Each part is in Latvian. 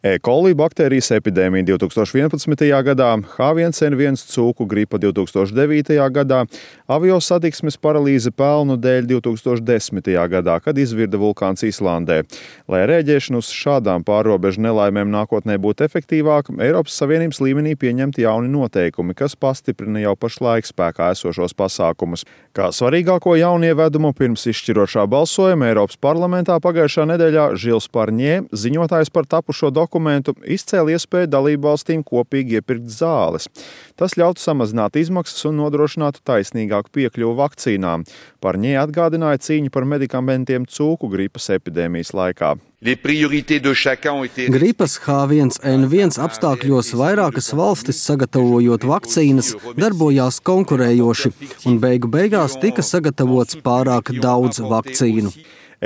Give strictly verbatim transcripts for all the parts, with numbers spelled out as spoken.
E. coli baktērijas epidēmija divtūkstoš vienpadsmitajā gadā, H viens N viens cūku gripa divtūkstoš devītajā gadā, aviosatiksmes paralīze pelnu dēļ divtūkstoš desmitajā gadā, kad izvirda vulkāns Islandē. Lai rēģēšana uz šādām pārrobežu nelaimēm nākotnē būtu efektīvāka, Eiropas Savienības līmenī pieņemti jauni noteikumi, kas pastiprina jau pašlaik spēkā esošos pasākumus. Kā svarīgāko jaunievedumu pirms izšķirošā balsojuma Eiropas parlamentā pagājušā nedēļā Žils Parņē, ziņotājs par tapušo dokumentu, izcēla iespēju dalībvalstīm kopīgi iepirkt zāles. Tas ļautu samazināt izmaksas un nodrošinātu taisnīgāku piekļuvu vakcīnām. Parņē atgādināja cīņu par medikamentiem cūku gripas epidēmijas laikā. Gripas H viens N viens apstākļos vairākas valstis, sagatavojot vakcīnas, darbojās konkurējoši, un beigu beigās tika sagatavots pārāk daudz vakcīnu.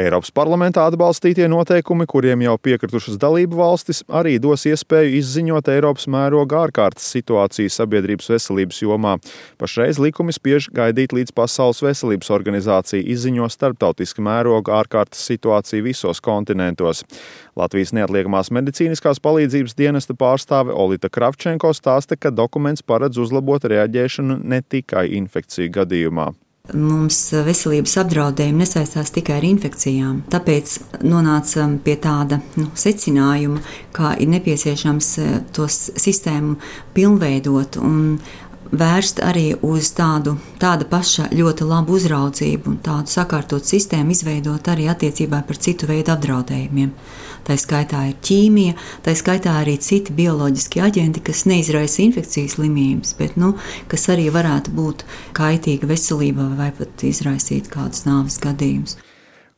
Eiropas parlamentā atbalstītie noteikumi, kuriem jau piekritušas dalību valstis, arī dos iespēju izziņot Eiropas mēroga ārkārtas situāciju sabiedrības veselības jomā. Pašreiz likumi spiež gaidīt, līdz Pasaules veselības organizācija izziņo starptautiska mēroga ārkārtas situāciju visos kontinentos. Latvijas neatliekamās medicīniskās palīdzības dienesta pārstāve Olita Kravčenko stāsta, ka dokuments paredz uzlabot reaģēšanu ne tikai infekciju gadījumā. Mums veselības apdraudējumi nesaistās tikai ar infekcijām, tāpēc nonācam pie tāda nu, secinājuma, kā ir nepieciešams tos sistēmu pilnveidot un vērst arī uz tādu tāda paša ļoti labu uzraudzību un tādu sakārtot sistēmu izveidot arī attiecībā par citu veidu apdraudējumiem. Tā skaitā ir ķīmija, tā skaitā arī citi bioloģiski aģenti, kas neizraisa infekcijas slimības, bet nu, kas arī varētu būt kaitīgi veselībai vai pat izraisīt kādus nāves gadījumus.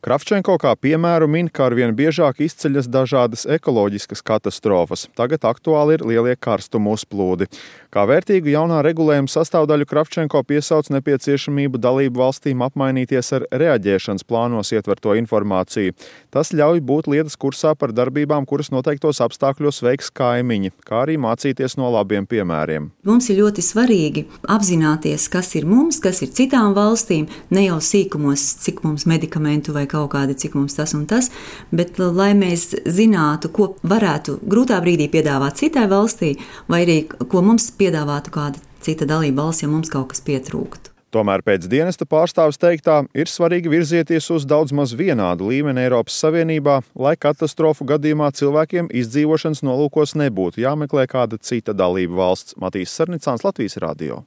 Kravčenko kā piemēru min, ka arvien biežāk izceļas dažādas ekoloģiskas katastrofas. Tagad aktuāli ir lielie karstumu uzplūdi. Kā vērtīgu jaunā regulējuma sastāvdaļu Kravčenko piesauc nepieciešamību dalību valstīm apmainīties ar reaģēšanas plānos ietverto informāciju. Tas ļauj būt lietas kursā par darbībām, kuras noteiktos apstākļos veiks kaimiņi, kā arī mācīties no labiem piemēriem. Mums ir ļoti svarīgi apzināties, kas ir mums, kas ir citām valstīm, ne jau sīkumos, cik mums medikamentu vai kaut kādi, cik mums tas un tas, bet lai mēs zinātu, ko varētu grūtā brīdī piedāvāt citai valstī, vai arī ko mums piedāvātu kāda cita dalība valsts, ja mums kaut kas pietrūktu. Tomēr pēc dienesta pārstāvis teiktā ir svarīgi virzieties uz daudz maz vienādu līmeni Eiropas Savienībā, lai katastrofu gadījumā cilvēkiem izdzīvošanas nolūkos nebūtu jāmeklē kāda cita dalība valsts. Matīs Sarnicāns, Latvijas radio.